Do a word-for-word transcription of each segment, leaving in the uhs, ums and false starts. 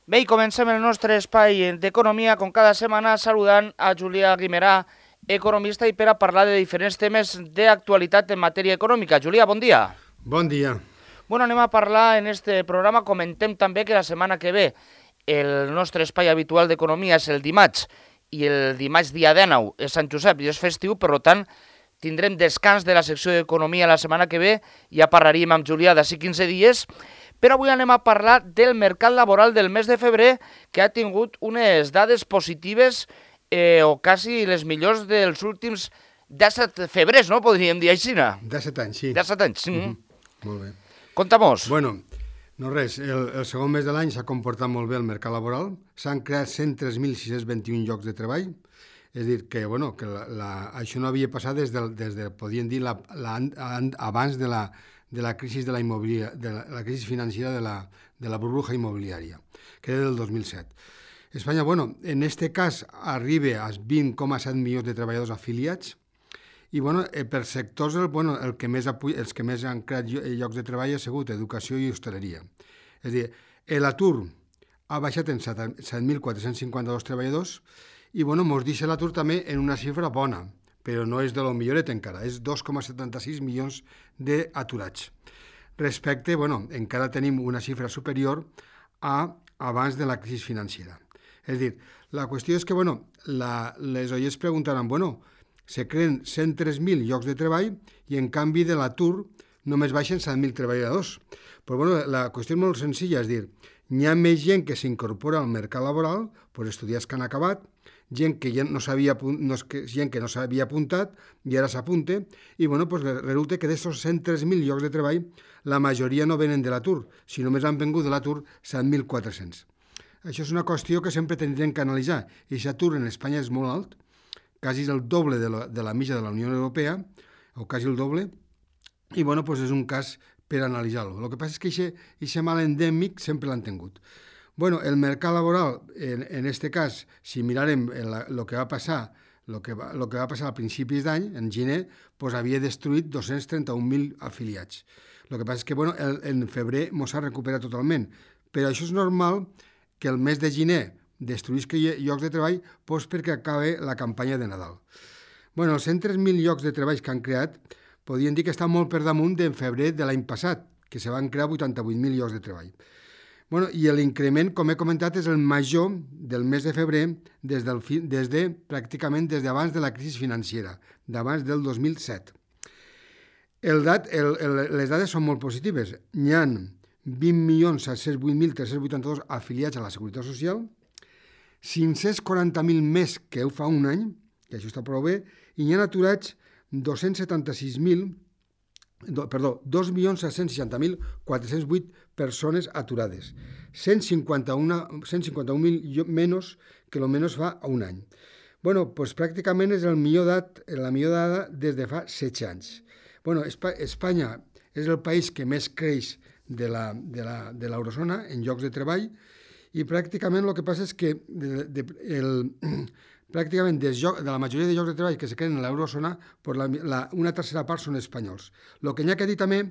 Bé, i comencem el nostre espai d'economia, com cada setmana, saludant a Julià Guimerà, economista, i per a parlar de diferents temes d'actualitat en matèria econòmica. Julià, bon dia. Bon dia. Bueno, anem a parlar en este programa. Comentem també que la setmana que ve el nostre espai habitual d'economia és el dimarts, i el dimarts dia dinou és Sant Josep i és festiu, per tant, tindrem descans de la secció d'economia la setmana que ve, ja parlaríem amb Julià d'ací quinze dies, però avui anem a parlar del mercat laboral del mes de febrer, que ha tingut unes dades positives eh, o quasi les millors dels últims disset febrers, no? Podríem dir així, no? disset anys, sí. disset anys, sí. Mm-hmm. Molt bé. Conta-mos. Bueno, no res, el, el segon mes de l'any s'ha comportat molt bé el mercat laboral, s'han creat cent tres mil sis-cents vint-i-un llocs de treball, és a dir, que, bueno, que la, la, això no havia passat des de, des de podríem dir, la, la, abans de la, de la crisi de la, de la, la crisi financera de la, de la burbuja immobiliària, que era del dos mil set. Espanya, bueno, en este cas arriba als vint coma set milions de treballadors afiliats, i bueno, per sectors el, bueno, el que més, els que més han creat llocs de treball ha sigut educació i hostaleria. És a dir, l'atur ha baixat en set mil quatre-cents cinquanta-dos treballadors i bueno, ens deixa l'atur també en una xifra bona, però no és de lo milloret encara, és dos coma setanta-sis milions d'aturats. Respecte, bueno, encara tenim una xifra superior a abans de la crisi financera. És a dir, la qüestió és que, bueno, la, les oients preguntaran, bueno, se creen cent tres mil llocs de treball i en canvi de l'atur només baixen set mil treballadors. Però bueno, la qüestió és molt senzilla, és dir, hi ha més gent que s'incorpora al mercat laboral, doncs estudiants que han acabat, gent que ja no s'havia no, gent que no s'havia apuntat i ara s'apunta, i bueno, doncs resulta que d'aquests cent tres mil llocs de treball la majoria no venen de l'atur, si només han vengut de l'atur set mil quatre-cents. Això és una qüestió que sempre tindrem que analitzar, i l'atur en Espanya és molt alt, quasi el doble de la, de la mitja de la Unió Europea, o quasi el doble, i bueno, doncs és un cas per analitzar-lo. El que passa és que aquest mal endèmic sempre l'han tingut. Bueno, el mercat laboral, en, en este cas, si mirarem el que va passar, lo que va, lo que va passar a principis d'any, en gener, doncs havia destruït dos-cents trenta-un mil afiliats. El que passa és que, bueno, el, en febrer mos ha recuperat totalment, però això és normal que el mes de gener destruïsca llocs de treball doncs perquè acaba la campanya de Nadal. Bueno, els cent tres mil llocs de treball que han creat podien dir que estan molt per damunt d'en febrer de l'any passat, que se van crear vuitanta-vuit mil llocs de treball. Bueno, i l'increment, com he comentat, és el major del mes de febrer des, del, des de, pràcticament des d'abans de la crisi financera, d'abans del dos mil set. El dat, el, el, les dades són molt positives. N'hi ha vint milions set-cents vuit mil tres-cents vuitanta-dos afiliats a la Seguretat Social, cinc-cents quaranta mil més que ho fa un any, que això està prou bé, i n'hi ha aturats dos-cents setanta-sis mil, do, perdó, dos milions set-cents seixanta mil quatre-cents vuit persones aturades, cent cinquanta-un mil menys que el menys fa un any. Bueno, doncs pràcticament és el millor dat, la millor dada des de fa setze anys. Bueno, Espanya és el país que més creix de la, de la, de l'eurozona en llocs de treball, i pràcticament el que passa és que de, de, el, pràcticament de, de la majoria de llocs de treball que se creen en l'eurozona, la, la, una tercera part són espanyols. El que n'hi ha que dir també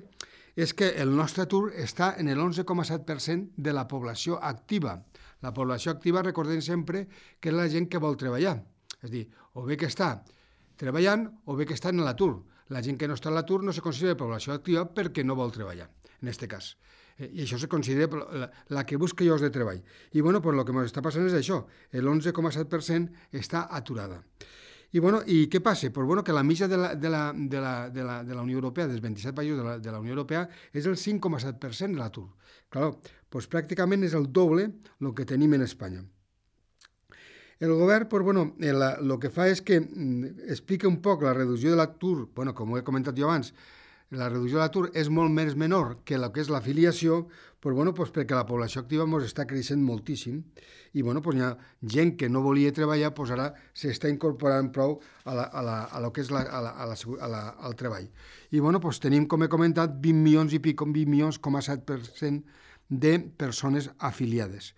és que el nostre atur està en l'onze coma set per cent de la població activa. La població activa, recordem sempre, que és la gent que vol treballar. És a dir, o bé que està treballant o bé que està en l'atur. La gent que no està en l'atur no se considera població activa perquè no vol treballar, en aquest cas. I això se considera la, la que busca llocs de treball. I bueno, pues, el que ens està passant és això, l'onze coma set per cent està aturada. I, bueno, i què passa? Pues, bueno, que la mitja de la, de, la, de, la, de, la, de la Unió Europea, dels vint-i-set països de la, de la Unió Europea, és el cinc coma set per cent de l'atur. Clar, pues, pràcticament és el doble el que tenim en Espanya. El govern, pues, bueno, el que fa és que mm, explica un poc la reducció de l'atur, bueno, com ho he comentat jo abans, la reducció de l'atur és molt més menor que el que és l'afiliació, pues, bueno, pues, perquè la població activa ens està creixent moltíssim i bueno, pues, hi ha gent que no volia treballar, pues, ara s'està incorporant prou a, la, a, la, a lo que és la, a la, a la, a la, al treball. I bueno, pues, tenim, com he comentat, vint milions i pico, vint milions coma set per cent de persones afiliades.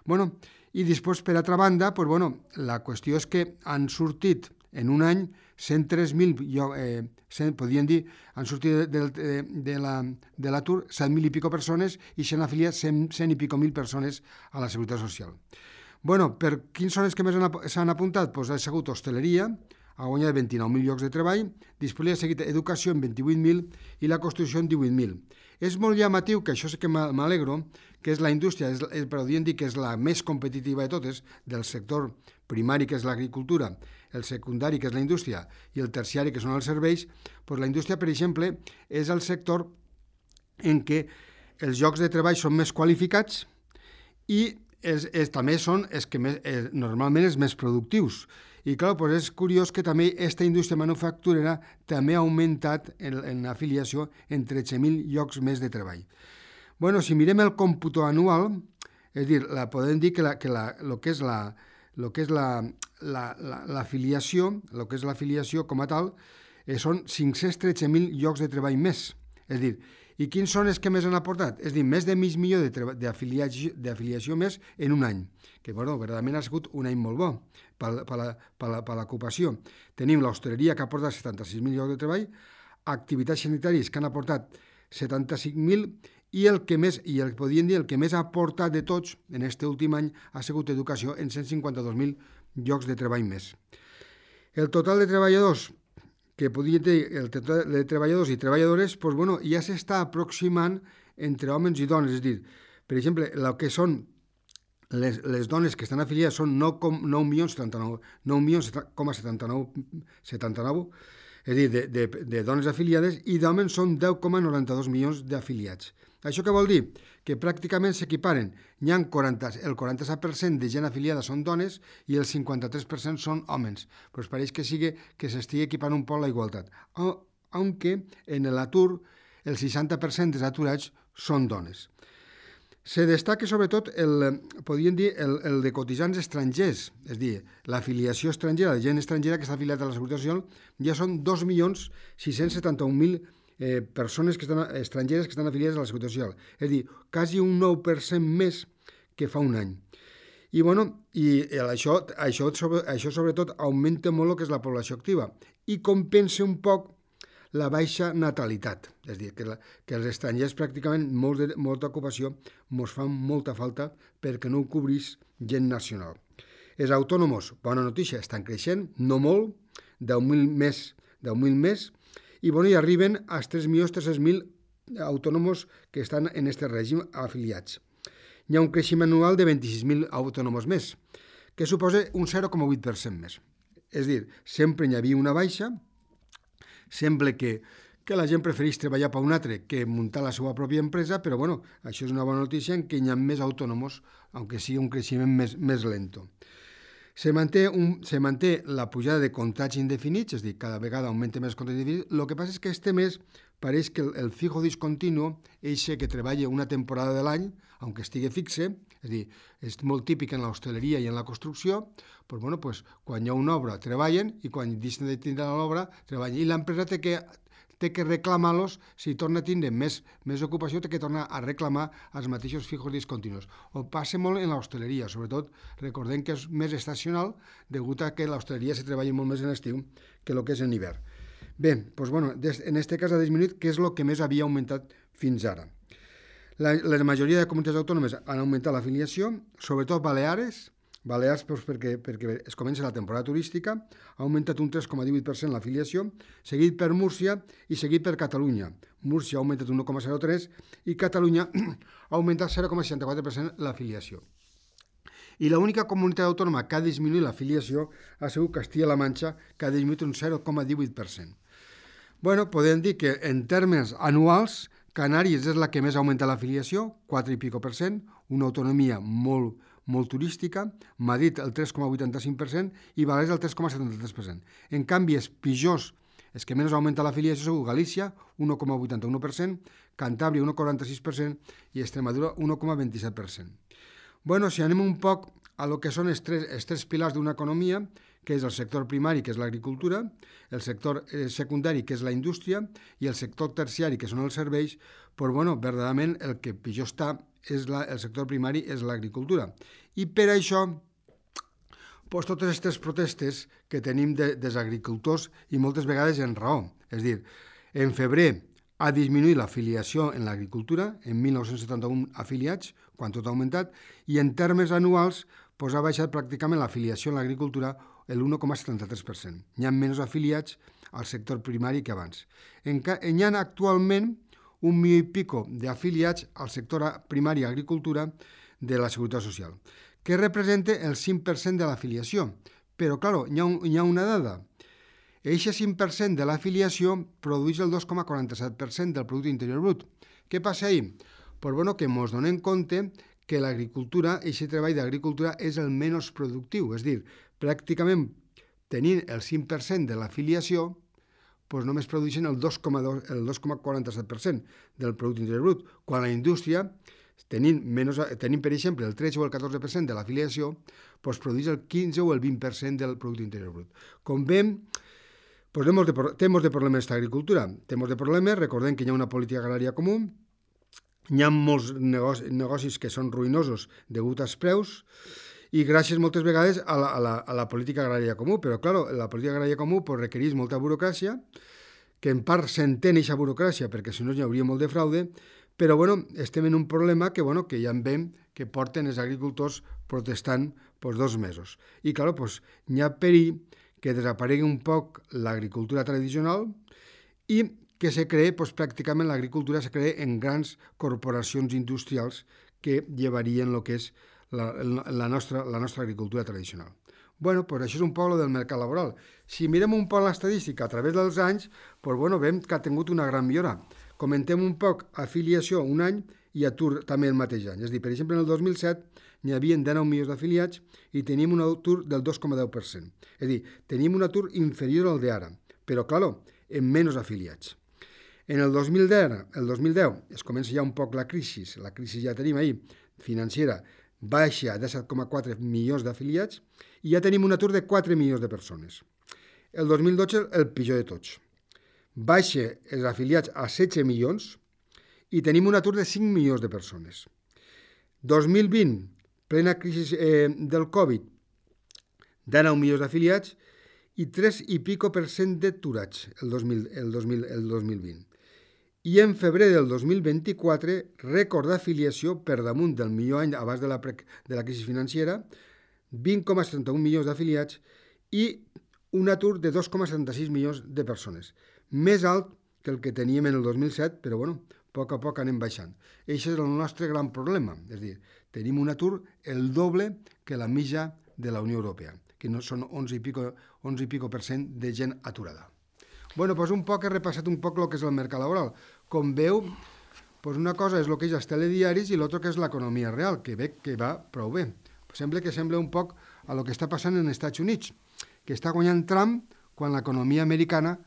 Bueno, i després, per altra banda, pues, bueno, la qüestió és que han sortit en un any, cent tres mil, eh, podríem dir, han sortit de, de, de l'atur la, set mil i pico persones i s'han afiliat cent, cent i pico mil persones a la Seguretat Social. Bueno, per quins són els que més s'han apuntat? Pues ha sigut hostaleria, ha guanyat vint-i-nou mil llocs de treball, després ha seguit educació en vint-i-vuit mil i la construcció en divuit mil. És molt llamatiu, que això sí que m'alegro, que és la indústria, és, però podríem dir que és la més competitiva de totes, del sector primari, que és l'agricultura, el secundari, que és la indústria, i el terciari, que són els serveis. Doncs la indústria, per exemple, és el sector en què els llocs de treball són més qualificats i és, és, també són els que més, eh, normalment els més productius. I clar, doncs és curiós que també aquesta indústria manufacturera també ha augmentat en, en afiliació en tretze mil llocs més de treball. Bueno, si mirem el còmputo anual, és dir, la, podem dir que, la, que la, lo que és la, lo que és la, la, la, l'afiliació, lo que és l'afiliació com a tal, eh, són cinc-cents tretze mil llocs de treball més. És dir, i quins són els que més han aportat? És dir, més de mig milió d'afiliació, d'afiliació més en un any, que bueno, verdaderament ha sigut un any molt bo per l'ocupació. Tenim l'hostaleria, que ha aportat setanta-sis mil llocs de treball, activitats sanitàries, que han aportat setanta-cinc mil, i el que més, i el podríem dir, el que més ha aportat de tots en aquest últim any ha sigut educació en cent cinquanta-dos mil llocs de treball més. El total de treballadors, que podria dir el total de treballadors i treballadores, doncs, bueno, ja s'està aproximant entre homes i dones. És dir, per exemple, el que són les, les dones que estan afiliades són nou milions coma setanta-nou, és dir, de, de, de dones afiliades, i d'homes són deu coma noranta-dos milions d'afiliats. Això què vol dir? Que pràcticament s'equiparen. Hi ha quaranta, el quaranta-set per cent de gent afiliada són dones i el cinquanta-tres per cent són homes. Però pareix que sigui que s'estigui equipant un poc la igualtat. Aunque en l'atur el seixanta per cent dels aturats són dones. Se destaca sobretot el, podríem dir, el, el de cotitzants estrangers, és a dir, l'afiliació estrangera, la gent estrangera que està afiliada a la Seguretat Social, ja són dos milions sis-cents setanta-un mil Eh, persones que estan, estrangeres que estan afiliades a la Seguretat Social. És a dir, quasi un nou per cent més que fa un any. I, bueno, i això, això, sobre, això sobretot augmenta molt el que és la població activa i compensa un poc la baixa natalitat. És a dir, que, la, que els estrangers pràcticament molt de, molta ocupació mos fan molta falta perquè no ho cobrís gent nacional. Els autònoms, bona notícia, estan creixent, no molt, deu mil més, deu mil més, i, bueno, i arriben als tres milions tres-cents mil autònoms que estan en aquest règim afiliats. Hi ha un creixement anual de vint-i-sis mil autònoms més, que suposa un zero coma vuit per cent més. És a dir, sempre hi havia una baixa, sembla que, que la gent prefereix treballar per un altre que muntar la seva pròpia empresa, però, bueno, això és una bona notícia en què hi ha més autònoms, aunque sigui un creixement més, més lento. Se manté, un, se manté la pujada de contrats indefinits, és a dir, cada vegada augmenta més contrats indefinits. El que passa és que este mes pareix que el, el fijo discontinu, eixe que treballa una temporada de l'any, aunque estigui fixe, és a dir, és molt típic en l'hostaleria i en la construcció, doncs, bueno, pues, quan hi ha una obra treballen i quan deixen de tindre l'obra treballen. I l'empresa té que, té que reclamar-los, si torna a tindre més, més ocupació, té que tornar a reclamar els mateixos fijos discontinus. Ho passa molt en l'hostaleria, sobretot recordem que és més estacional, degut a que l'hostaleria se treballa molt més en l'estiu que el que és en hivern. Bé, doncs, bueno, en aquest cas ha disminuït, que és el que més havia augmentat fins ara. La, la majoria de comunitats autònomes han augmentat l'afiliació, sobretot Baleares, Balears, doncs, perquè, perquè es comença la temporada turística, ha augmentat un tres coma divuit per cent l'afiliació, seguit per Múrcia i seguit per Catalunya. Múrcia ha augmentat un un coma zero tres i Catalunya ha augmentat zero coma seixanta-quatre per cent l'afiliació. I l'única comunitat autònoma que ha disminuït l'afiliació ha sigut Castilla-La Manxa, que ha disminuït un zero coma divuit per cent. Bueno, podem dir que en termes anuals, Canàries és la que més augmenta l'afiliació, quatre i pico per cent, una autonomia molt molt turística, Madrid el tres coma vuitanta-cinc per cent i Balears el tres coma setanta-tres per cent. En canvi, els pitjors, els que menys augmenta l'afiliació són Galícia, un coma vuitanta-u per cent, Cantàbria, un coma quaranta-sis per cent i Extremadura, un coma vint-i-set per cent. Bueno, si anem un poc a lo que són els tres, els tres pilars d'una economia, que és el sector primari, que és l'agricultura, el sector secundari, que és la indústria, i el sector terciari, que són els serveis, però, bueno, verdaderament el que pitjor està és la, el sector primari és l'agricultura. I per això, pues, totes aquestes protestes que tenim de, dels agricultors i moltes vegades en raó. És a dir, en febrer ha disminuït l'afiliació en l'agricultura, en mil nou-cents setanta-un afiliats, quan tot ha augmentat, i en termes anuals pues, ha baixat pràcticament l'afiliació en l'agricultura l'u coma setanta-tres per cent. Hi ha menys afiliats al sector primari que abans. En, hi ha actualment un milió i pico d'afiliats al sector primari i agricultura de la Seguretat Social, que representa el cinc per cent de l'afiliació. Però, clar, hi ha, un, hi ha una dada. Aquest cinc per cent de l'afiliació produeix el dos coma quaranta-set per cent del Producte Interior Brut. Què passa ahí? Pues, bueno, que ens donem compte que l'agricultura, aquest treball d'agricultura, és el menys productiu. És a dir, pràcticament tenint el cinc per cent de l'afiliació, doncs només produeixen el dos coma quaranta-set per cent del Producte Interior Brut, quan la indústria, tenint, menys, tenint per exemple el tretze o el catorze per cent de l'afiliació, doncs produeix el quinze o el vint per cent del Producte Interior Brut. Com veiem, doncs té molts de, té molts de problemes aquesta agricultura. Té molts de problemes, recordem que hi ha una política agrària comú, hi ha molts negocis, negocis que són ruïnosos degut als preus, i gràcies moltes vegades a la, a la, a la política agrària comú. Però, clar, la política agrària comú pues, requereix molta burocràcia, que en part s'entén aquesta burocràcia, perquè si no hi hauria molt de fraude, però bueno, estem en un problema que, bueno, que ja en veiem que porten els agricultors protestant pues, dos mesos. I, clar, pues, hi ha perill que desaparegui un poc l'agricultura tradicional i que se cree, pues, pràcticament l'agricultura se cree en grans corporacions industrials que llevarien el que és La, la, nostra, la nostra agricultura tradicional. Bueno, pues això és un poc lo del mercat laboral. Si mirem un poc l'estadística a través dels anys, pues bueno, veiem que ha tingut una gran millora. Comentem un poc afiliació un any i atur també el mateix any. És a dir, per exemple, en el dos mil set n'hi havia dinou milions d'afiliats i tenim un atur del dos coma deu per cent. És a dir, tenim un atur inferior al d'ara, però, clar, en menys afiliats. En el dos mil deu, el dos mil deu es comença ja un poc la crisi, la crisi ja tenim ahir, financera, baixa a disset coma quatre milions d'afiliats i ja tenim un atur de quatre milions de persones. El dos mil dotze, el pitjor de tots. Baixa els afiliats a setze milions i tenim un atur de cinc milions de persones. dos mil vint, plena crisi eh, del Covid, dinou milions d'afiliats i tres i pico per cent d'aturats el, dos mil, el, dos mil, el dos mil vint. I en febrer del dos mil vint-i-quatre, rècord d'afiliació per damunt del millor any abans de la, pre, de la crisi financera, vint coma setanta-un milions d'afiliats i un atur de dos coma setanta-sis milions de persones. Més alt que el que teníem en el dos mil set, però bueno, a poc a poc anem baixant. Això és el nostre gran problema, és a dir, tenim un atur el doble que la mitja de la Unió Europea, que no són onze i pico, onze i pico per cent de gent aturada. Bueno, doncs un poc he repassat un poc el que és el mercat laboral. Com veu, doncs una cosa és el que és els telediaris i l'altra que és l'economia real, que ve que va prou bé. Sembla que sembla un poc a el que està passant en els Estats Units, que està guanyant Trump quan l'economia americana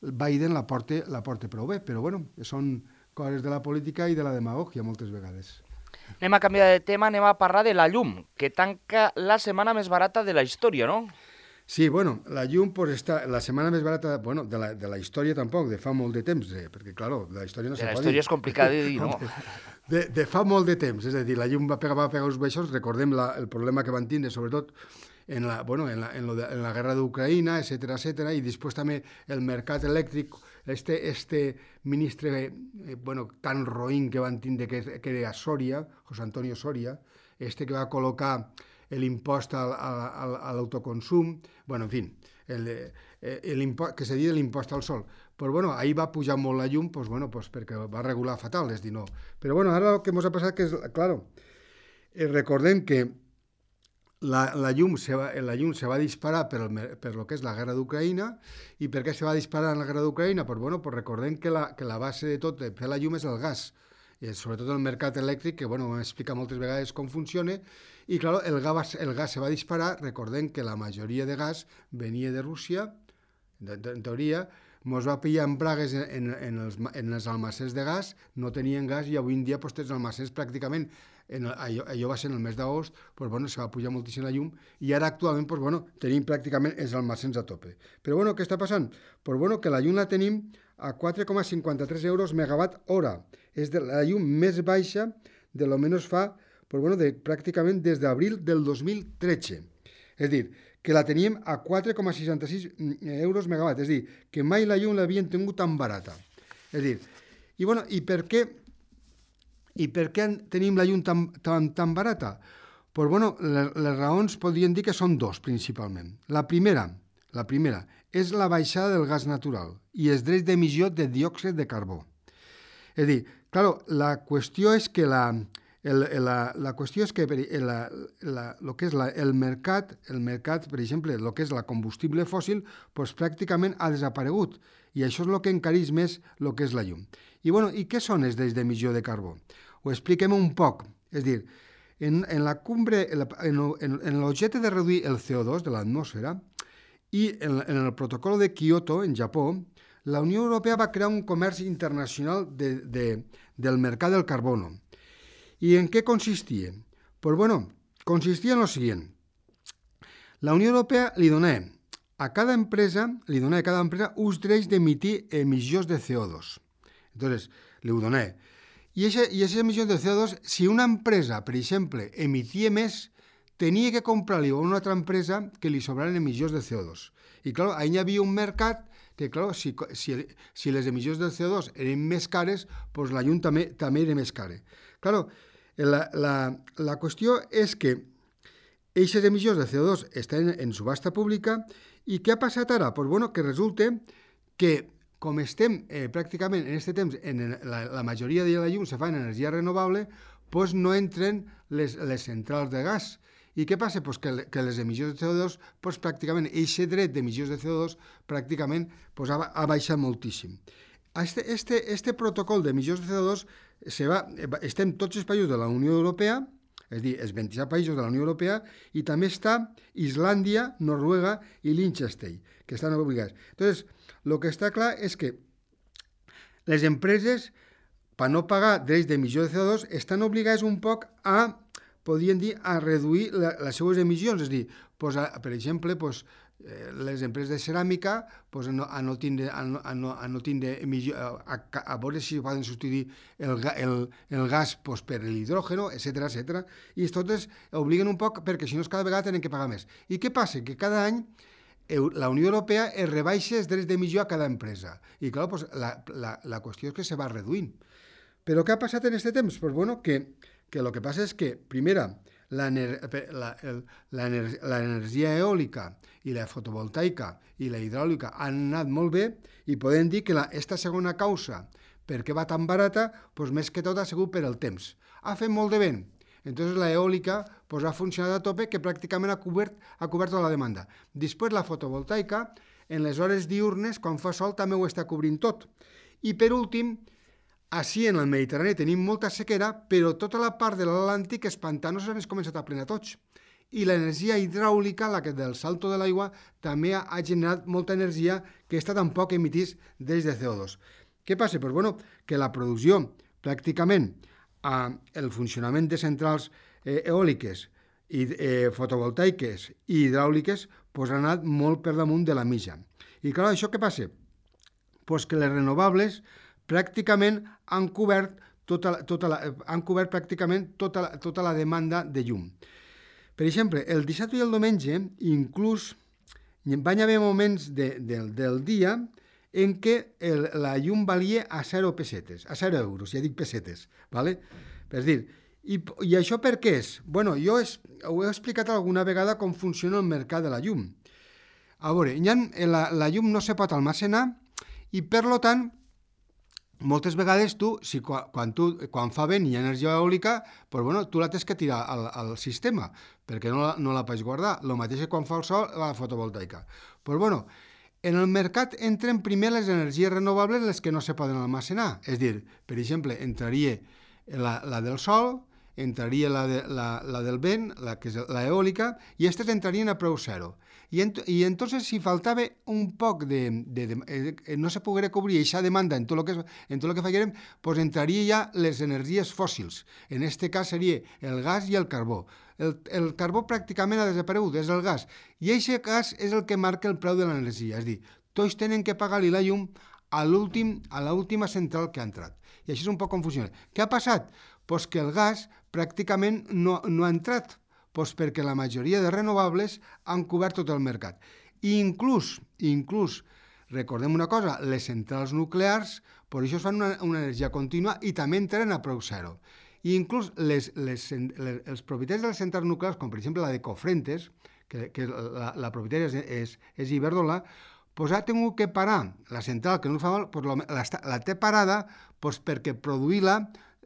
Biden la porta, la porta prou bé, però bueno, són coses de la política i de la demagògia moltes vegades. Anem a canviar de tema, anem a parlar de la llum, que tanca la setmana més barata de la història, no? Sí, bueno, la llum pues, està la setmana més barata, bueno, de la, de la història tampoc, de fa molt de temps, eh, perquè, clar, la història no se pot dir. La història és complicada de dir, no? De, de fa molt de temps, és a dir, la llum va pegar, va pegar uns baixos, recordem la, el problema que van tindre, sobretot, en la, bueno, en la, en lo de, en la guerra d'Ucraïna, etcètera, etcètera, i després també el mercat elèctric, este, este ministre, eh, bueno, tan roïn que van tindre, que, que era Soria, José Antonio Soria, este que va col·locar l'impost a, a, a, a l'autoconsum, bueno, en fi, el, el que se diu l'impost al sol. Però, bueno, ahir va pujar molt la llum, pues, bueno, pues, perquè va regular fatal, és dir, no. Però, bueno, ara el que ens ha passat que és, claro, eh, recordem que la, la, llum se va, la llum se va disparar per, el, per lo que és la guerra d'Ucraïna. I per què se va disparar en la guerra d'Ucraïna? Pues, bueno, pues recordem que la, que la base de tot de fer la llum és el gas, i sobretot el mercat elèctric, que bueno, m'explica moltes vegades com funciona, i clar, el gas, el gas se va disparar. Recordem que la majoria de gas venia de Rússia, de, de, en teoria, ens va pillar en bragues en, en, els, en els almacens de gas, no tenien gas, i avui en dia pues, tens almacens pràcticament, en, allò, allò va ser en el mes d'agost, pues, bueno, se va pujar moltíssim la llum, i ara actualment pues, bueno, tenim pràcticament els almacens a tope. Però bueno, què està passant? Pues, bueno, que la llum la tenim a quatre coma cinquanta-tres euros megawatt hora. És de la llum més baixa de lo menys fa, pues, bueno, de, pràcticament des d'abril del dos mil tretze. És a dir, que la teníem a quatre coma seixanta-sis euros megawatt, és a dir, que mai la llum l'havien tingut tan barata. És a dir, i, bueno, i per què i per què tenim la llum tan, tan, tan barata? Pues, bueno, les, les raons podrien dir que són dos, principalment. La primera, la primera és la baixada del gas natural i els drets d'emissió de diòxid de carbó. És a dir, clar, la qüestió és que la... El, la, la qüestió és que la, la, lo que és la, el mercat, el mercat, per exemple, el que és la combustible fòssil, doncs pràcticament ha desaparegut. I això és el que encareix més el que és la llum. I, bueno, i què són els drets d'emissió de carbó? Ho expliquem un poc. És a dir, en, en la cumbre, en, en, en l'objecte de reduir el C O dos de l'atmosfera i en, en el protocol de Kyoto, en Japó, la Unió Europea va crear un comerç internacional de, de, del mercat del carbono. ¿Y en qué consistía? Pues bueno, consistía en lo siguiente. La Unió Europea li donava a cada empresa, li donava a cada empresa uns drets d'emitir emissions de C O dos. Entonces, li ho donava. I aquestes emissions de C O dos, si una empresa, per exemple, emitia més, tenia que comprar-li a una altra empresa que li sobraren emissions de C O dos. I, clar, ahí hi havia un mercat que, clar, si, si, si les emissions del C O dos eren més cares, doncs la llum també, també era més cara. Claro, la, la, la qüestió és que aquestes emissions de C O dos estan en subhasta pública i què ha passat ara? Pues bueno, que resulta que com estem eh, pràcticament en aquest temps, en la, la majoria de la llum se fa en energia renovable, pues no entren les, les centrals de gas. I què passa? Pues que, que les emissions de C O dos, pues pràcticament, aquest dret d'emissions de C O dos pràcticament pues ha, ha baixat moltíssim. Este, este, este protocol d'emissions de C O dos se va, estem tots els països de la Unió Europea, és a dir, els vint-i-set països de la Unió Europea, i també està Islàndia, Noruega i Liechtenstein, que estan obligats. Entonces, el que està clar és que les empreses, per no pagar drets d'emissió de C O dos, estan obligades un poc a, podríem dir, a reduir la, les seues emissions, és a dir, pues, a, per exemple, pues, les empreses de ceràmica pues, a, no, a no tindre, a no, a no, a no tindre emissió, a, a, a veure si poden substituir el, el, el gas pues, per l'hidrògeno, etcètera, etcètera. I totes obliguen un poc perquè si no cada vegada tenen que pagar més. I què passa? Que cada any la Unió Europea es rebaixa els drets d'emissió a cada empresa. I clar, pues, la, la, la qüestió és que se va reduint. Però què ha passat en aquest temps? Pues, bueno, que, que lo que passa és que, primera, l'energia eòlica i la fotovoltaica i la hidràulica han anat molt bé i podem dir que aquesta segona causa per què va tan barata, doncs més que tot ha sigut per el temps. Ha fet molt de vent, entonces la eòlica pues, ha funcionat a tope que pràcticament ha cobert, ha cobert tota la demanda. Després la fotovoltaica, en les hores diurnes, quan fa sol, també ho està cobrint tot. I per últim, així en el Mediterrani tenim molta sequera, però tota la part de l'Atlàntic, els pantanos s'han començat a plenar tots. I l'energia hidràulica, la que del salto de l'aigua, també ha, ha generat molta energia que està tampoc emitís des de C O dos. Què passa? Pues, bueno, que la producció, pràcticament, eh, el funcionament de centrals eh, eòliques, i, eh, fotovoltaiques i hidràuliques, pues, ha anat molt per damunt de la mitja. I clar, això què passa? Pues que les renovables pràcticament han cobert, tota, tota la, han cobert pràcticament tota la, tota la demanda de llum. Per exemple, el dissabte i el diumenge, inclús van haver moments de, de, del dia en què el, la llum valia a zero pessetes, a zero euros, ja dic pessetes, ¿vale? És dir, i, i això per què és? Bueno, jo es, ho he explicat alguna vegada com funciona el mercat de la llum. A veure, ha, la, la llum no se pot almacenar i, per lo tant, moltes vegades tu, si quan, quan, tu, quan fa vent i hi ha energia eòlica, pues bueno, tu la tens que tirar al, al sistema, perquè no la, no la pots guardar. El mateix que quan fa el sol, la fotovoltaica. Pues bueno, en el mercat entren primer les energies renovables, les que no se poden almacenar. És dir, per exemple, entraria la, la del sol, entraria la, de, la, la del vent, la que és l'eòlica, i aquestes entrarien a preu zero. I, ent i entonces, si faltava un poc de... de, de eh, no se poguera cobrir aquesta demanda en tot el que, en tot el que faríem, pues entraria ja les energies fòssils. En aquest cas seria el gas i el carbó. El, el carbó pràcticament ha desaparegut, és el gas. I aquest gas és el que marca el preu de l'energia. És a dir, tots tenen que pagar-li la llum a l'última central que ha entrat. I això és un poc com funciona. Què ha passat? Pues que el gas pràcticament no, no ha entrat, Doncs perquè la majoria de renovables han cobert tot el mercat. I inclús, inclús, recordem una cosa, les centrals nuclears, per això fan una, una energia contínua i també entren a preu zero. I inclús les, les, les, els propietaris de les centrals nuclears, com per exemple la de Cofrentes, que, que la, la propietària és, és, és Iberdrola, doncs ha tingut que parar la central, que no fa mal, doncs la, la té parada doncs perquè produir-la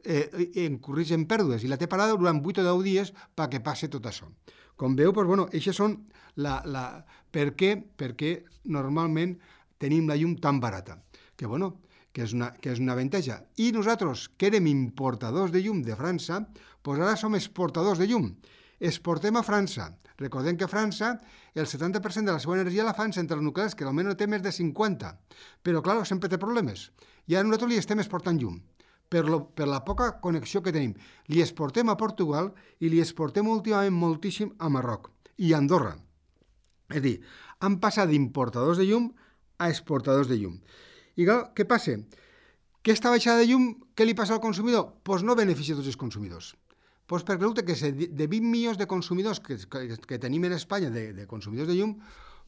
eh, incurreix en pèrdues, i la té parada durant vuit o deu dies perquè passi tot això. Com veu, doncs, bueno, això són la, la... Per què? Perquè normalment tenim la llum tan barata, que, bueno, que és una, que és una avantatge. I nosaltres, que érem importadors de llum de França, doncs ara som exportadors de llum. Exportem a França. Recordem que a França el setanta per cent de la seva energia la fan centrals nuclears, que almenys té més de cinquanta. Però, clar, sempre té problemes. I ara nosaltres li estem exportant llum. Per, lo, per la poca connexió que tenim. Li exportem a Portugal i li exportem últimament moltíssim a Marroc i a Andorra. És a dir, han passat d'importadors de llum a exportadors de llum. I clar, què passa? Que aquesta baixada de llum, què li passa al consumidor? Doncs no beneficia tots els consumidors. Doncs perquè resulta que de vint milions de consumidors que, que, que tenim en Espanya, de, de consumidors de llum,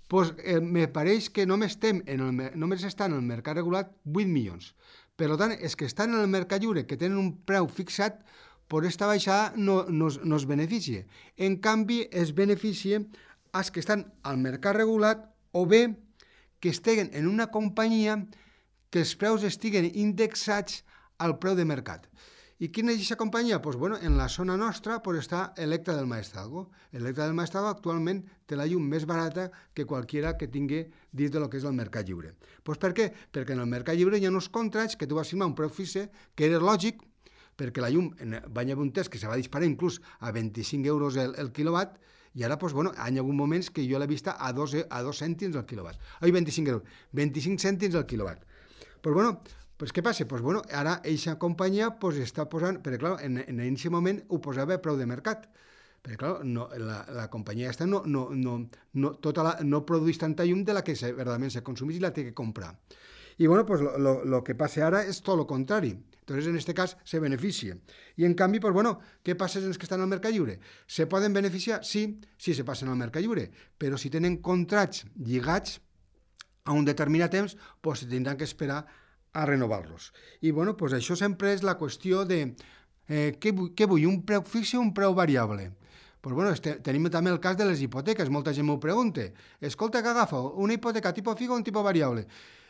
doncs eh, me pareix que només, estem en el, només estan en el mercat regulat vuit milions. Per tant, els que estan en el mercat lliure, que tenen un preu fixat, per aquesta baixada no, no, no es beneficia. En canvi, es beneficia els que estan al mercat regulat o bé que estiguen en una companyia que els preus estiguen indexats al preu de mercat. I quina és aquesta companyia? Doncs, bueno, en la zona nostra pues, està Electra del Maestrazgo. Electra del Maestrazgo actualment té la llum més barata que qualsevol que tingui dins de lo que és el mercat lliure. Doncs per què? Perquè en el mercat lliure hi ha uns contrats que tu vas firmar un preu fixe, que era lògic, perquè la llum va haver un test que se va disparar inclús a vint-i-cinc euros el, el quilowatt, i ara, doncs, bueno, hi ha hagut moments que jo l'he vista a dos, a dos cèntims el quilowatt. Ai, vint-i-cinc euros, vint-i-cinc cèntims el quilowatt. Doncs, bueno, pues què passa? Pues bueno, ara aquesta companyia pues, està posant, perquè clar, en, en aquest moment ho posava a preu de mercat, perquè clar, no, la, la companyia aquesta no, no, no, no, tota la, no produeix tanta llum de la que se, verdaderament se consumeix i la té que comprar. I bueno, pues lo, lo, lo que passa ara és tot el contrari. Entonces, en este cas, se beneficia. I en canvi, pues bueno, què passa amb els que estan al mercat lliure? Se poden beneficiar? Sí, sí se passen al mercat lliure, però si tenen contrats lligats a un determinat temps, pues se tindran que esperar a renovar-los. I bueno, pues això sempre és la qüestió de eh, què, vull, què vull, un preu fix o un preu variable? Pues bueno, este, tenim també el cas de les hipoteques, molta gent m'ho pregunta. Escolta, què agafa? Una hipoteca tipus fix o un tipus variable?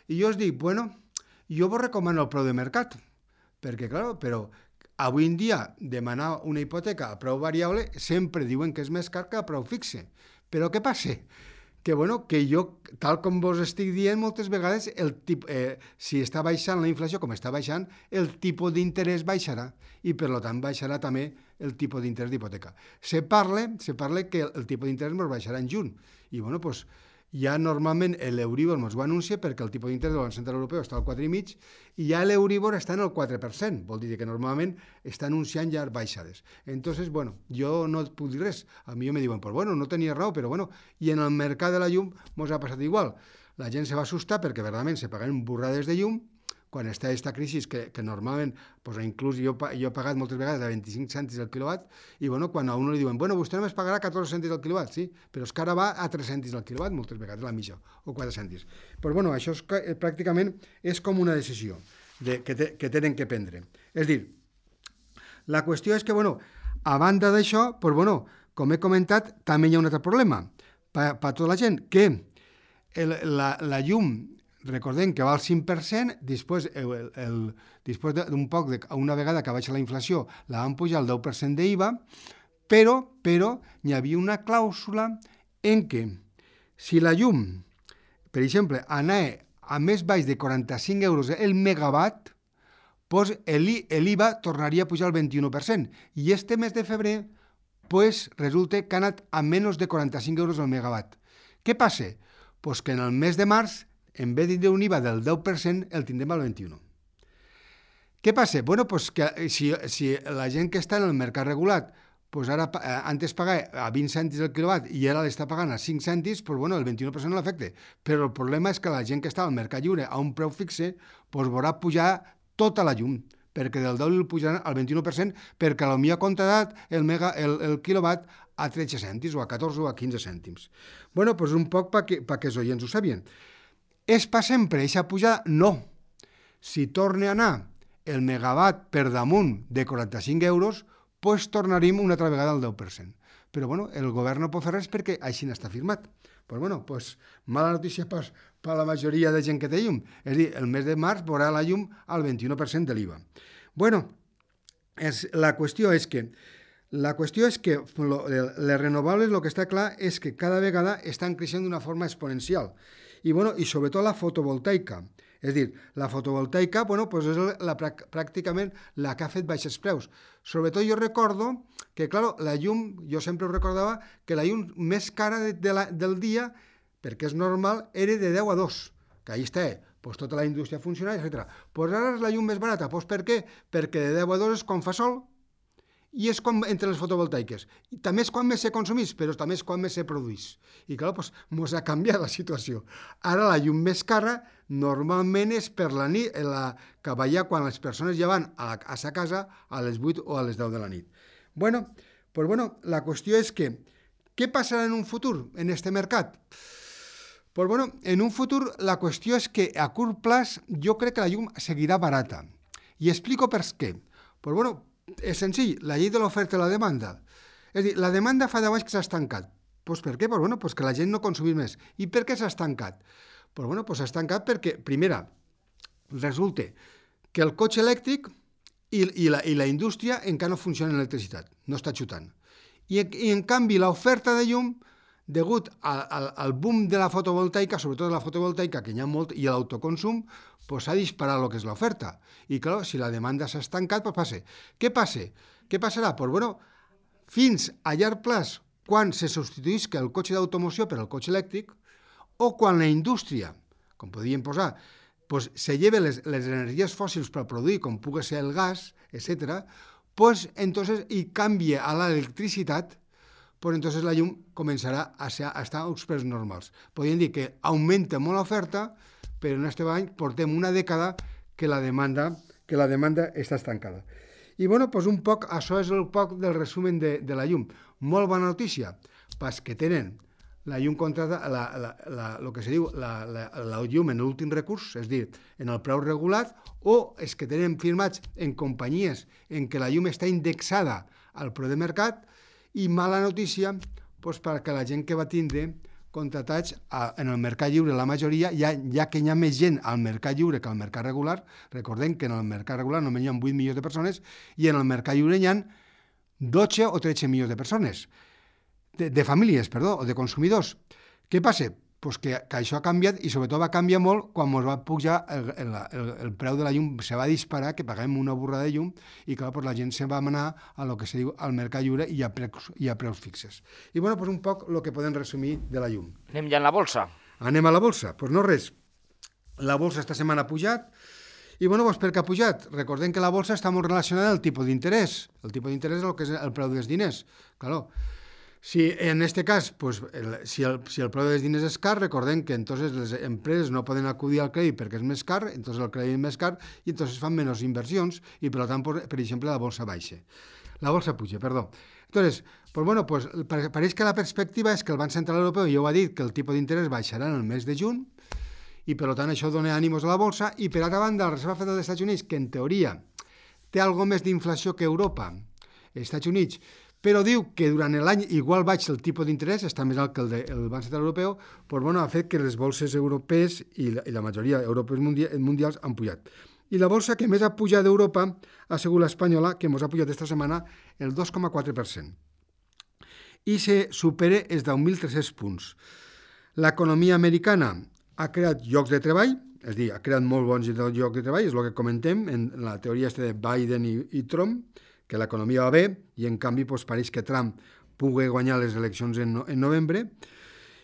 I jo us dic, bueno, jo vos recomano el preu de mercat, perquè, clar, però avui en dia demanar una hipoteca a preu variable sempre diuen que és més car que a preu fixe. Però què passa? Que, bueno, que jo, tal com vos estic dient, moltes vegades, el tip, eh, si està baixant la inflació com està baixant, el tipus d'interès baixarà i, per tant, baixarà també el tipus d'interès d'hipoteca. Se parla, se parla que el, el tipus d'interès ens baixarà en juny. I, bueno, doncs, ja normalment l'Euríbor ens ho anuncia perquè el tipus d'interès del Banc Central Europeu està al quatre coma cinc i ja l'Euríbor està en el quatre per cent, vol dir que normalment està anunciant ja baixades. Entonces, bueno, jo no et puc dir res. A mi me diuen, pues bueno, no tenia raó, però bueno, i en el mercat de la llum ens ha passat igual. La gent se va assustar perquè verdaderament se pagaven burrades de llum quan està aquesta crisi que, que normalment, pues, inclús jo, jo he pagat moltes vegades a vint-i-cinc cèntims el quilowatt, i bueno, quan a un li diuen, bueno, vostè només pagarà catorze cèntims el quilowatt, sí, però és que ara va a tres cèntims el quilowatt, moltes vegades la mitja, o quatre cèntims. Però bueno, això és, pràcticament és com una decisió de, que, te, que tenen que prendre. És dir, la qüestió és que, bueno, a banda d'això, pues, bueno, com he comentat, també hi ha un altre problema per, per tota la gent, que el, la, la llum, recordem que va al cinc per cent, després, el, el, després d'un poc, de, una vegada que baixa la inflació, la van pujar al deu per cent d'I V A, però, però hi havia una clàusula en què si la llum, per exemple, anava a més baix de quaranta-cinc euros el megawatt, doncs l'I V A tornaria a pujar al vint-i-u per cent. I este mes de febrer, pues, resulta que ha anat a menys de quaranta-cinc euros el megawatt. Què passa? Pues que en el mes de març, en vez de un I V A del deu per cent, el tindrem al vint-i-u. Què passa? Bueno, pues que si, si la gent que està en el mercat regulat, pues ara antes pagava a vint cèntims el quilowatt i ara l'està pagant a cinc cèntims, pues bueno, el vint-i-u per cent no l'afecta. Però el problema és que la gent que està al mercat lliure a un preu fixe, pues veurà pujar tota la llum, perquè del deu el pujaran al vint-i-u per cent, perquè potser ha contratat el, mega, el, el quilowatt a tretze cèntims, o a catorze o a quinze cèntims. Bueno, doncs un poc perquè pa que els oients ho sabien. És per sempre aquesta pujada? No. Si torna a anar el megawatt per damunt de quaranta-cinc euros, doncs tornaríem una altra vegada al deu per cent. Però bueno, el govern no pot fer res perquè així n'està firmat. Pues bueno, pues mala notícia per, per la majoria de gent que té llum. És a dir, el mes de març veurà la llum al vint-i-u per cent de l'I V A. Bueno, és, la qüestió és que la qüestió és que lo, les renovables, el que està clar és que cada vegada estan creixent d'una forma exponencial. I, bueno, i sobretot la fotovoltaica. És a dir, la fotovoltaica, bueno, pues és la, pràcticament la que ha fet baixes preus. Sobretot jo recordo que, clar, la llum, jo sempre ho recordava, que la llum més cara de, de la, del dia, perquè és normal, era de deu a dos, que ahí està, pues, tota la indústria funcional, etcètera. Pues ara és la llum més barata. Pues per què? Perquè de deu a dos és quan fa sol, i és quan entre les fotovoltaiques. I també és quan més se consumís, però també és quan més se produís. I clar, doncs, mos ha canviat la situació. Ara la llum més cara normalment és per la nit, la, que veia quan les persones ja van a, a sa casa a les vuit o a les deu de la nit. Bueno, pues bueno, la qüestió és que, què passarà en un futur en este mercat? Pues bueno, en un futur la qüestió és que a curt plaç jo crec que la llum seguirà barata. I explico per què. Pues bueno, és senzill, la llei de l'oferta i la demanda. És a dir, la demanda fa deu anys que s'ha estancat. Pues per què? Pues bueno, pues que la gent no consumís més. I per què s'ha estancat? Pues bueno, pues s'ha estancat perquè, primera, resulta que el cotxe elèctric i, i, la, i la indústria encara no funciona en electricitat, no està xutant. I, i en canvi, l'oferta de llum, degut al, al, al boom de la fotovoltaica, sobretot de la fotovoltaica, que hi ha molt, i l'autoconsum, pues s'ha disparat el que és l'oferta. I, clar, si la demanda s'ha estancat, pues passa. Què passa? Què passarà? Pues, bueno, fins a llarg plaç, quan se substituïsca el cotxe d'automoció per el cotxe elèctric, o quan la indústria, com podríem posar, pues, se lleve les, les energies fòssils per produir, com pugui ser el gas, etcètera, pues, entonces, i canvia a l'electricitat, pues entonces la llum començarà a, ser, a estar a uns preus normals. Podríem dir que augmenta molt l'oferta, però en aquest any portem una dècada que la demanda, que la demanda està estancada. I bueno, pues un poc, això és el poc del resumen de, de la llum. Molt bona notícia, pas que tenen la llum contrata, la, la, la, el que se diu, la, la, la llum en l'últim recurs, és a dir, en el preu regulat, o és que tenen firmats en companyies en què la llum està indexada al preu de mercat. I mala notícia, doncs, perquè la gent que va tindre contratats a, en el mercat lliure, la majoria, ja, ja que hi ha més gent al mercat lliure que al mercat regular, recordem que en el mercat regular només hi ha vuit milions de persones i en el mercat lliure hi ha dotze o tretze milions de persones, de, de famílies, perdó, o de consumidors. Què passa? Pues que, que això ha canviat i sobretot va canviar molt quan ens va pujar el, el, el, el preu de la llum, se va disparar, que paguem una burrada de llum i clar, pues la gent se va anar a lo que se diu al mercat lliure i a preus, i a preus fixes. I bueno, pues un poc el que podem resumir de la llum. Anem ja en la bolsa. Anem a la bolsa. Pues no res. La bolsa esta setmana ha pujat i bueno, pues per què ha pujat? Recordem que la bolsa està molt relacionada al tipus d'interès. El tipus d'interès és el que és el preu dels diners. Claro. Si en este cas, pues, el, si, el, si el preu dels diners és car, recordem que entonces les empreses no poden acudir al crèdit perquè és més car, entonces el crèdit és més car i entonces fan menys inversions i per tant, per, per exemple, la bolsa baixa. La bolsa puja, perdó. Entonces, pues bueno, pues, pareix que la perspectiva és que el Banc Central Europeu ja ho ha dit que el tipus d'interès baixarà en el mes de juny i per tant això dona ànimos a la bolsa i per altra banda la Reserva Federal dels Estats Units, que en teoria té algo més d'inflació que Europa, els Estats Units, però diu que durant l'any igual baix el tipus d'interès, està més alt que el del Banc Central Europeu, pues bueno, ha fet que les bolses europees i la, i la majoria europees mundials, mundials han pujat. I la bolsa que més ha pujat d'Europa ha sigut l'espanyola, que ens ha pujat aquesta setmana el dos coma quatre per cent. I se supera els deu mil tres-cents punts. L'economia americana ha creat llocs de treball, és a dir, ha creat molt bons llocs de treball, és el que comentem en la teoria de Biden i, i Trump, que l'economia va bé i en canvi doncs, pareix que Trump pugui guanyar les eleccions en, no, en novembre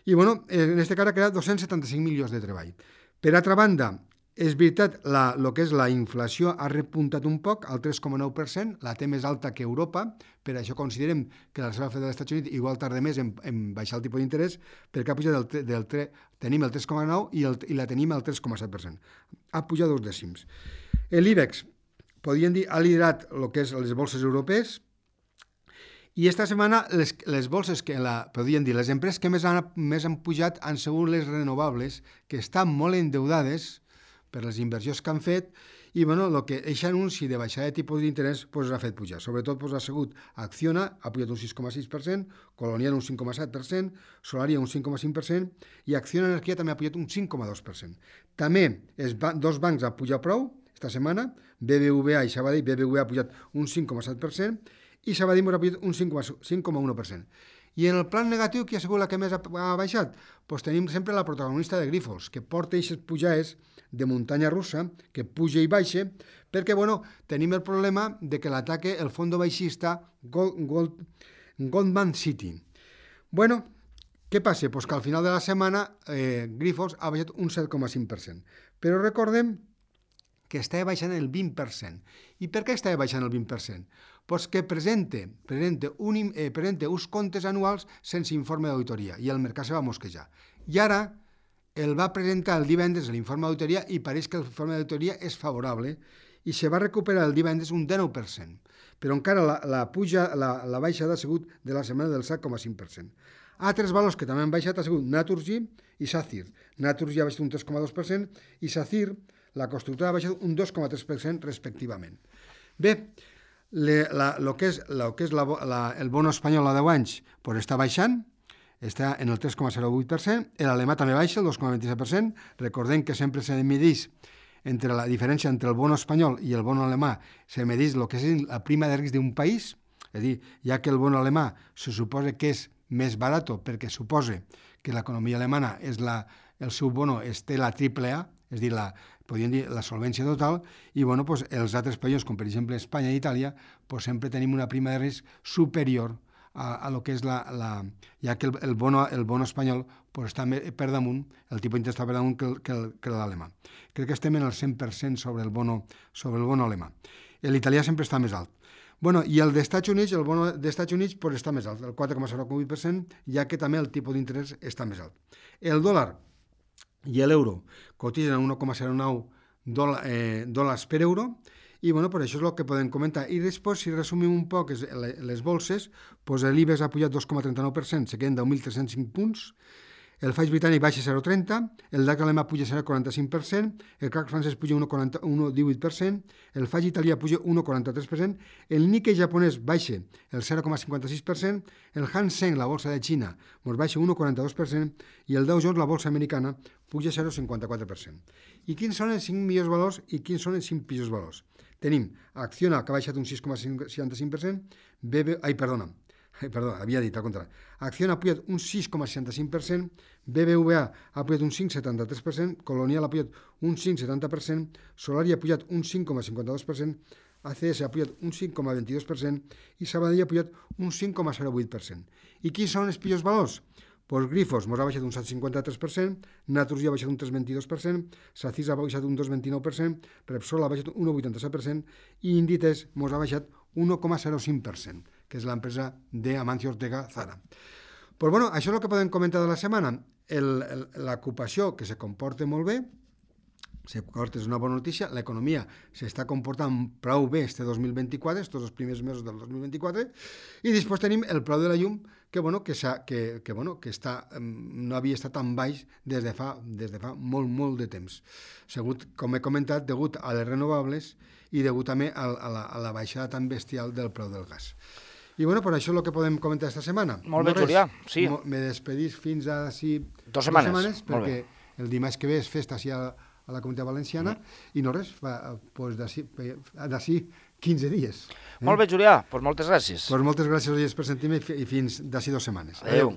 i bueno, en aquest cas ha creat dos-cents setanta-cinc milions de treball. Per altra banda, és veritat, la, el que és la inflació ha repuntat un poc al tres coma nou per cent, la té més alta que Europa, per això considerem que la Reserva Federal dels Estats Units igual tarda més en, en baixar el tipus d'interès, perquè ha pujat del, del tre, tenim el tres coma nou i, el, i la tenim al tres coma set per cent. Ha pujat dos dècims. L'IBEX podríem dir, ha liderat el que és les bolses europees I esta setmana les, les bolses que la, podríem dir, les empreses que més han, més han pujat han sigut les renovables, que estan molt endeudades per les inversions que han fet, i bueno, el que aquest anunci de baixada de tipus d'interès pues, ha fet pujar. Sobretot pues, ha sigut Acciona, ha pujat un sis coma sis per cent, Colonial un cinc coma set per cent, Solaria un cinc coma cinc per cent i Acciona Energia també ha pujat un cinc coma dos per cent. També els ba- dos bancs han pujat prou esta setmana, B B V A i Sabadell. B B V A ha pujat un cinc coma set per cent i Sabadell ha pujat un cinc coma un per cent. I en el plan negatiu, qui ha sigut la que més ha, ha baixat? Pues tenim sempre la protagonista de Grifols, que porta aquestes pujades de muntanya russa, que puja i baixa, perquè, bueno, tenim el problema de que l'ataque el fondo baixista Gold, Gold, Goldman City. Bueno, què passa? Pues que al final de la setmana eh, Grifols ha baixat un set coma cinc per cent. Però recordem que estava baixant el vint per cent. I per què estava baixant el vint per cent? Pues que presenta, presenta, un, eh, presenta uns comptes anuals sense informe d'auditoria i el mercat se va mosquejar. I ara el va presentar el divendres l'informe d'auditoria i pareix que l'informe d'auditoria és favorable i se va recuperar el divendres un dinou per cent. Però encara la, la, puja, la, la baixada ha sigut de la setmana del set coma cinc per cent. Altres valors que també han baixat ha sigut Naturgy i Sacir. Naturgy ha baixat un tres coma dos per cent i Sacir, la constructora, ha baixat un dos coma tres per cent respectivament. Bé, le, la, lo que és, lo que és la, la, el bono espanyol a deu anys pues està baixant, està en el tres coma zero vuit per cent, l'alemà també baixa, el dos coma vint-i-set per cent, recordem que sempre se medeix entre la diferència entre el bono espanyol i el bono alemà, se medeix el que és la prima de risc d'un país, és a dir, ja que el bono alemà se suposa que és més barat perquè suposa que l'economia alemana és la, el seu bono es té la triple A, és a dir, la, podríem dir la solvència total, i bueno, pues, els altres països, com per exemple Espanya i Itàlia, pues, sempre tenim una prima de risc superior a, a lo que és la, la ja que el, el, bono, el bono espanyol pues, està per damunt, el tipus d'interès està per damunt que, que, que l'alemà. Crec que estem en el cent per cent sobre el bono, sobre el bono alemà. L'italià sempre està més alt. Bueno, i el d'Estats Units, el bono d'Estats Units pues, està més alt, el quatre coma zero vuit per cent, ja que també el tipus d'interès està més alt. El dòlar i l'euro cotitzen a un coma zero nou dòlar, eh, dòlars per euro, i bueno, per això és el que podem comentar. I després, si resumim un poc les bolses, pues l'Ibex ha pujat dos coma trenta-nou per cent, se queden deu mil tres-cents cinc punts, el F A I britànic baixa zero coma trenta, el D A X alemà puja zero coma quaranta-cinc per cent, el C A C francès puja un coma divuit per cent, el F A I italià puja un coma quaranta-tres per cent, el Nikkei japonès baixa el zero coma cinquanta-sis per cent, el Hang Seng, la bolsa de Xina, doncs baixa un coma quaranta-dos per cent i el Dow Jones, la bolsa americana, puja zero coma cinquanta-quatre per cent. I quins són els cinc millors valors i quins són els cinc pitjors valors? Tenim Acciona, que ha baixat un sis coma seixanta-cinc per cent, B B... Ai, perdona, ai, perdona, havia dit al contrari. Acciona ha pujat un sis coma seixanta-cinc per cent, B B V A ha pujat un cinc coma setanta-tres per cent, Colonial ha pujat un cinc coma setanta per cent, Solaria ha pujat un cinc coma cinquanta-dos per cent, A C S ha pujat un cinc coma vint-i-dos per cent i Sabadell ha pujat un cinc coma zero vuit per cent. I quins són els pitjors valors? Pues Grifols mos ha baixat un set coma cinquanta-tres per cent, Naturgy ha baixat un tres coma vint-i-dos per cent, Sacir ha baixat un dos coma vint-i-nou per cent, Repsol ha baixat un un coma vuitanta-set per cent i Inditex mos ha baixat un un coma zero cinc per cent, que és l'empresa d'Amancio Ortega Zara. Pues bueno, això és el que podem comentar de la setmana. L'ocupació, que se comporta molt bé, se comporta, és una bona notícia, l'economia s'està comportant prou bé este dos mil vint-i-quatre, estos els primers mesos del dos mil vint-i-quatre, i després tenim el preu de la llum, que, bueno, que, que, que, bueno, que està, no havia estat tan baix des de fa, des de fa molt, molt de temps. Segut, com he comentat, degut a les renovables i degut també a, a, la, a la baixada tan bestial del preu del gas. I bueno, per això és el que podem comentar esta setmana. Molt bé, no Julià, sí. Me despedís fins a sí, dos setmanes, dos setmanes perquè el dimarts que ve és festa així a, a la Comunitat Valenciana, mm. i no res, fa, pues d'ací quinze dies. Eh? Molt bé, Julià, pues moltes gràcies. Pues moltes gràcies, oients, per sentir-me i fins d'ací dues setmanes. Adéu. Adéu.